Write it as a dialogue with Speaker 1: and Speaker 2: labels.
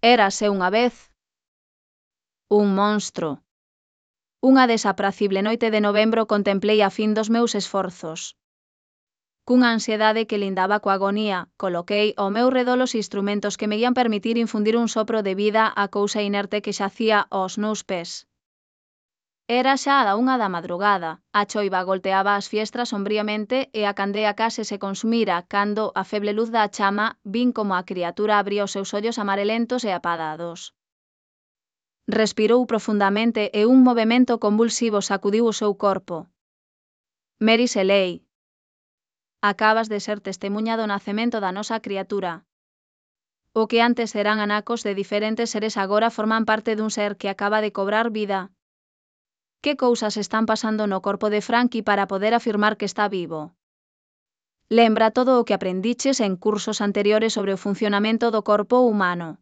Speaker 1: Érase unha vez un monstro. Unha desapracible noite de novembro contemplei a fin dos meus esforzos. Cunha ansiedade que lindaba coa agonía, coloquei ao meu redor os instrumentos que me ían permitir infundir un sopro de vida á cousa inerte que xacía aos meus pés. Era xa a 1 da madrugada, a choiva golpeaba as fiestras sombríamente e a candea case se consumira cando, a feble luz da chama, vin como a criatura abría os seus ollos amarelentos e apadados. Respirou profundamente e un movemento convulsivo sacudiu o seu corpo. Mary Shelley, acabas de ser testemuña do nacemento da nosa criatura. O que antes eran anacos de diferentes seres agora forman parte dun ser que acaba de cobrar vida. Que cousas están pasando no corpo de Frankie para poder afirmar que está vivo? Lembra todo o que aprendiches en cursos anteriores sobre o funcionamento do corpo humano.